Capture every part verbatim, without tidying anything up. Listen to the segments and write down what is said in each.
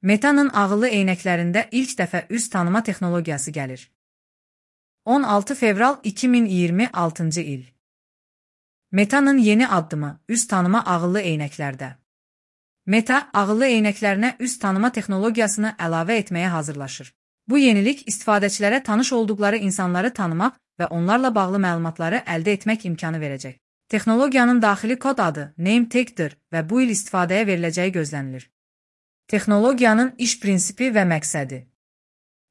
Meta'nın ağıllı eynəklərində ilk dəfə üz tanıma texnologiyası gəlir. on altı fevral iki min iyirmi altıncı il. Meta'nın yeni addımı üz tanıma ağıllı eynəklərdə. Meta, ağıllı eynəklərinə üz tanıma texnologiyasını əlavə etməyə hazırlaşır. Bu yenilik istifadəçilərə tanış olduqları insanları tanımaq və onlarla bağlı məlumatları əldə etmək imkanı verəcək. Texnologiyanın daxili kod adı NameTag'dir və bu il istifadəyə veriləcəyi gözlənilir. Texnologiyanın iş prinsipi və məqsədi.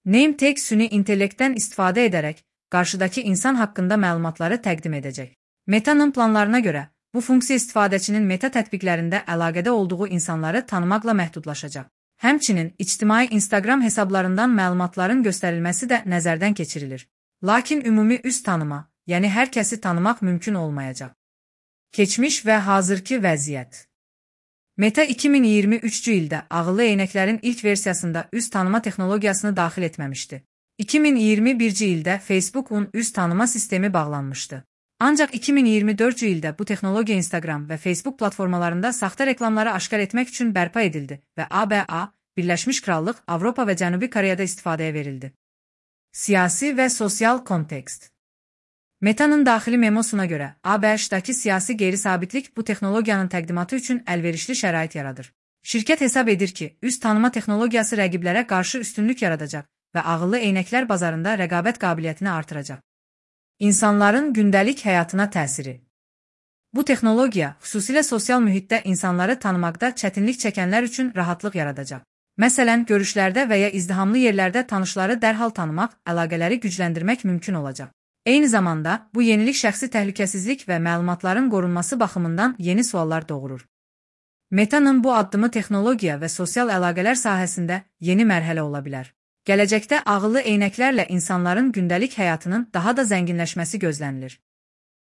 NameTag süni intellektdən istifadə edərək qarşıdakı insan haqqında məlumatları təqdim edəcək. Meta'nın planlarına görə, bu funksiya istifadəçinin Meta tətbiqlərində əlaqədə olduğu insanları tanımaqla məhdudlaşacaq. Həmçinin, ictimai Instagram hesablarından məlumatların göstərilməsi də nəzərdən keçirilir. Lakin ümumi üz tanıma, yəni hər kəsi tanımaq mümkün olmayacaq. Keçmiş və hazırki vəziyyət. Meta iki min iyirmi üçüncü ildə ağıllı eynəklərin ilk versiyasında üz tanıma texnologiyasını daxil etməmişdi. iki min iyirmi birinci ildə Facebook'un üz tanıma sistemi bağlanmışdı. Ancaq iki min iyirmi dördüncü ildə bu texnologiya Instagram və Facebook platformalarında saxta reklamları aşkar etmək üçün bərpa edildi və A B A, Birləşmiş Krallıq, Avropa və Cənubi Koreyada istifadəyə verildi. Siyasi və sosial kontekst. Meta'nın daxili memosuna görə, A B Ş-dakı siyasi qeyri-sabitlik bu texnologiyanın təqdimatı üçün əlverişli şərait yaradır. Şirkət hesab edir ki, üz tanıma texnologiyası rəqiblərə qarşı üstünlük yaradacaq və ağıllı eynəklər bazarında rəqabət qabiliyyətini artıracaq. İnsanların gündəlik həyatına təsiri. Bu texnologiya, xüsusilə sosial mühitdə insanları tanımaqda çətinlik çəkənlər üçün rahatlıq yaradacaq. Məsələn, görüşlərdə və ya izdihamlı yerlərdə tanışları dərhal tanımaq, əlaqələri gücləndirmək mümkün olacaq. Eyni zamanda, bu yenilik şəxsi təhlükəsizlik və məlumatların qorunması baxımından yeni suallar doğurur. Meta'nın bu addımı texnologiya və sosial əlaqələr sahəsində yeni mərhələ ola bilər. Gələcəkdə ağıllı eynəklərlə insanların gündəlik həyatının daha da zənginləşməsi gözlənilir.